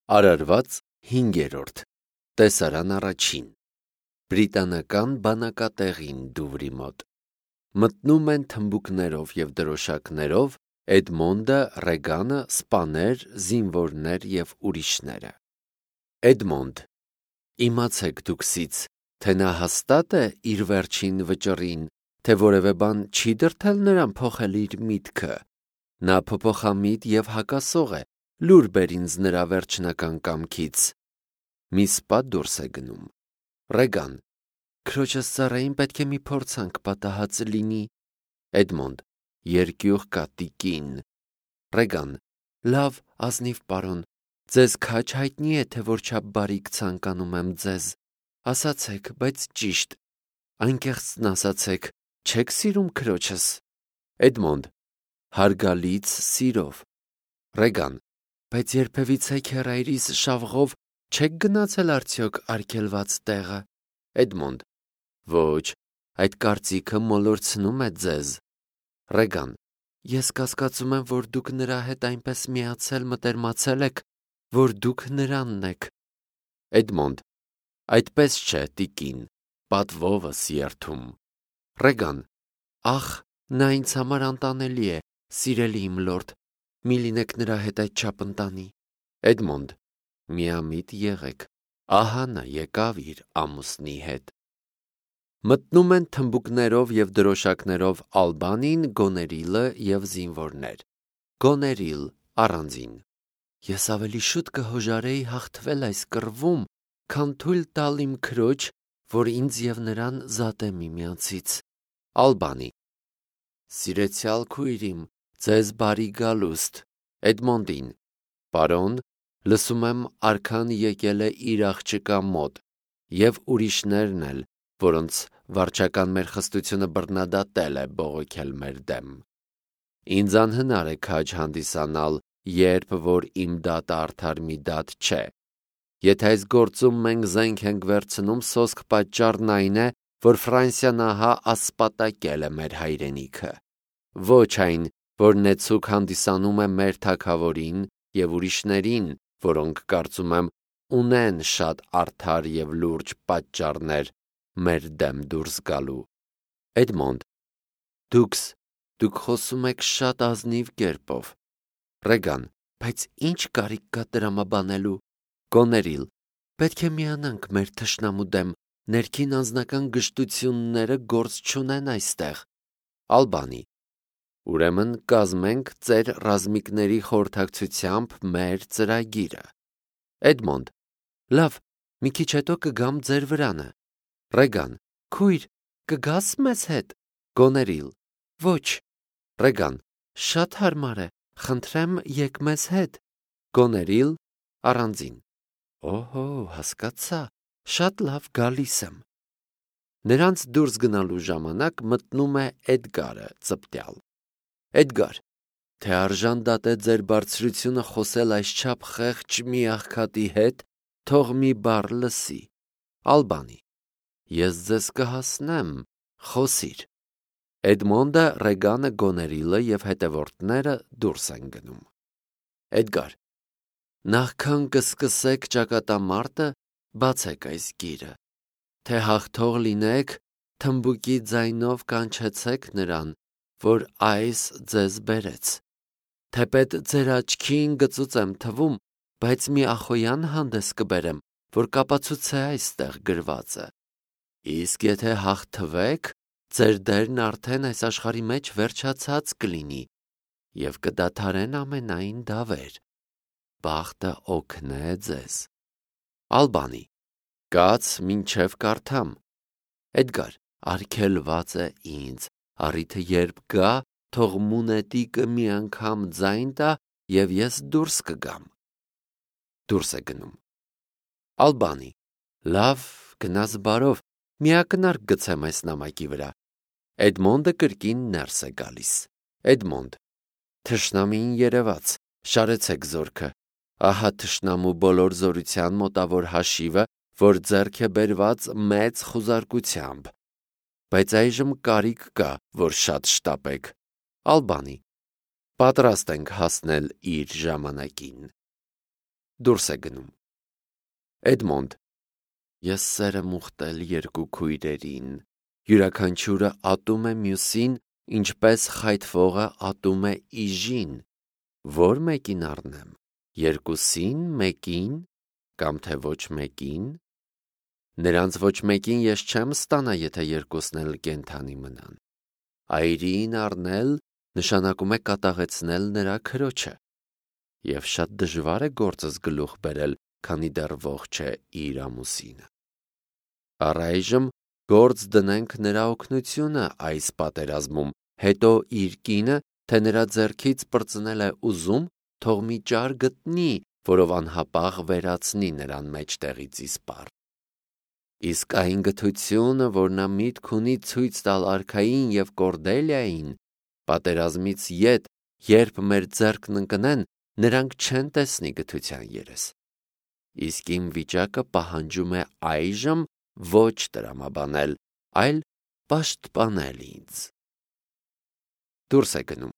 Արարված 5-րդ տեսարան առաջին Բրիտանական բանակատեղին Դուվրի մոտ մտնում են թմբուկներով և դրոշակներով Էդմոնդը, Ռեգանը, սպաներ, զինվորներ և ուրիշները։ Էդմոնդ, իմացեք դուքսից, թե նա հաստատ է իր վերջին վճռին, թե որևէ բան չի դրդել նրան փոխել իր միտքը։ Նա փոփոխամիտ և հակասող է, լուր բեր ինձ նրա վերջնական կամքից։ Մի սպա դուրս է գնում։ Ռեգան, քրոջս ծառային պետք է մի փորձանք պատահած լինի։ Էդմոնդ, երկյուղ կա տիկին։ Ռեգան, լավ, ազնիվ պարոն, ձեզ քաջ հայտնի է, թե որչափ բարիք ցանկանում եմ ձեզ։ Ասացեք, բայց ճիշտ, անկեղծն ասացեք, չե՞ք սիրում քրոջս։ Էդմոնդ, հարգալից սիրով։ Ռեգան, բայց երբևիցե քեռայրիս շավղով չեք գնացել արդյոք արգելված տեղը։ Էդմոնդ, ոչ, այդ կարծիքը մոլորցնում է ձեզ։ Ռեգան, ես կասկածում եմ, որ դուք նրա հետ այնպես միացել մտերմացել եք, որ դուք նրանն եք։ Էդմոնդ, այդպես չէ, տիկին, պատվովս երդում։ Ռեգան, ախ, նա ինձ համար անտանելի է, սիրելի իմ լորդ, մի լինեք նրա հետ այդչափ ընտանի։ Էդմոնդ, միամիտ եղեք, ահա նա եկավ իր ամուսնի հետ։ Մտնում են թմբուկներով և դրոշակներով Ալբանին, Գոներիլը և զինվորներ։ Գոներիլ առանձին. Ես ավելի շուտ կհոժարեի հաղթվել այս կռվում, քան թույլ տալ իմ քրոջ, որ ինձ և նրան զատե միմյանցից։ Ալբանի. Սիրեցյալ քույրիմ, ձեզ բարի գալուստ։ Էդմոնդին. Պարոն, լսում եմ արքան եկել է իր աղջկա մոտ, և ուրիշներն էլ, որոնց վարչական մեր խստությունը բռնադատել է բողոքել մեր դեմ։ Ինձ անհնար է քաջ հանդիսանալ, երբ որ իմ դատը արդար մի դատ չէ։ Եթե այս գործում մենք զենք ենք վերցնում, սոսկ պատճառն այն է, որ Ֆրանսիան ահա ասպատակել է մեր հայրենիքը։ Ոչ այն, որ նեցուկ հանդիսանում է մեր թագավորին և ուրիշներին, որոնք կարծում եմ ունեն շատ արդար և լուրջ պատճառներ մեր դեմ դուրս գալու։ Էդմոնդ, դուք խոսում եք շատ ազնիվ կերպով։ Ռեգան, բայց ի՞նչ կարիք կա տրամաբանելու։ Գոներիլ, պետք է միանանք մեր թշնամու դեմ, ներքին անձնական գժտությունները գործ չունեն այստեղ։ Ալբանի, ուրեմն կազմենք ծեր ռազմիկների խորհրդակցությամբ մեր ծրագիրը։ Էդմոնդ, լավ, մի քիչ հետո կգամ ձեր վրանը։ Ռեգան, քույր, կգաս մեզ հետ։ Գոներիլ, ոչ։ Ռեգան, շատ հարմար է, խնդրեմ եկ մեզ հետ։ Գոներիլ առանձին. Օհո, հասկացա, շատ լավ, գալիս եմ։ Նրանց դուրս գնալու ժամանակ մտնում է Էդգարը ծպտյալ։ Էդգար, թե արժան դատե ձեր բարձրությունը խոսել այսչափ խեղճ մի աղքատի հետ, թող մի բառ լսի։ Ալբանի, ես ձեզ կհասնեմ, խոսիր։ Էդմոնդը, Ռեգանը, Գոներիլը և հետևորդները դուրս են գնում։ Էդգար, նախքան կսկսեք ճակատամարտը, բացեք այս գիրը, թե հաղթող լինեք, թմբուկի ձայնով կանչեցեք նրան, որ այս ձեզ բերեց։ Թեպետ ձեր աչքին գծուծ եմ թվում, բայց մի ախոյան հանդես կբերեմ, որ կապացուցե այստեղ գրվածը։ Իսկ եթե հաղթվեք, ձեր դերն արդեն այս աշխարհի մեջ վերջացած կլինի, և կդադարեն ամենայն դավեր։ Բախտը օգնե ձեզ։ Ալբանի, կաց մինչև կարդամ։ Էդգար, արգելված է ինձ, առիթը երբ գա, թող մունետիկը մի անգամ ձայն տա, և ես դուրս կգամ։ Դուրս է գնում։ Ալբանի, լավ, գնաս բարով, մի ակնարկ գցեմ այս նամակի վրա։ Էդմոնդը կրկին ներս է գալիս։ Էդմոնդ, թշնամին երևաց, շարեցեք զորքը, ահա թշնամու բոլոր զորության մոտավոր հաշիվը, որ ձեռք է բերված մեծ խուզարկությամբ, բայց այժմ կարիք կա, որ շատ շտապեք։ Ալբանի, պատրաստ ենք հասնել իր ժամանակին։ Դուրս է գնում։ Էդմոնդ. Ես սեր եմ ուխտել երկու քույրերին, յուրաքանչյուրը ատում է մյուսին, ինչպես խայթվողը ատում է իժին, որ մեկին առնեմ, երկուսին, մեկին, կամ թե ոչ մեկին, նրանց ոչ մեկին ես չեմ ստանա, եթե երկուսն էլ կենդանի մնան։ Այրին առնել նշանակում է կատաղեցնել նրա քրոջը, և շատ դժվար է գործս գլուխ բերել, քանի դեռ ողջ է իր ամուսինը։ Առայժմ գործ դնենք նրա օգնությունը այս պատերազմում, հետո իր կինը, թե նրա ձեռքից պրծնել է ուզում, թող մի ճար գտնի, որով անհապաղ վերացնի նրան մեջտեղից իսպառ։ Իսկ այն գթությունը, որ նա միտք ունի ցույց տալ արքային և Կորդելիային, պատերազմից ետ, երբ մեր ձեռքն ընկնեն, նրանք չեն տեսնի գթության երես։ Իսկ իմ վիճակը պահանջում է այժմ ոչ տրամաբանել, այլ պաշտպանել ինձ։ Դուրս է գնում։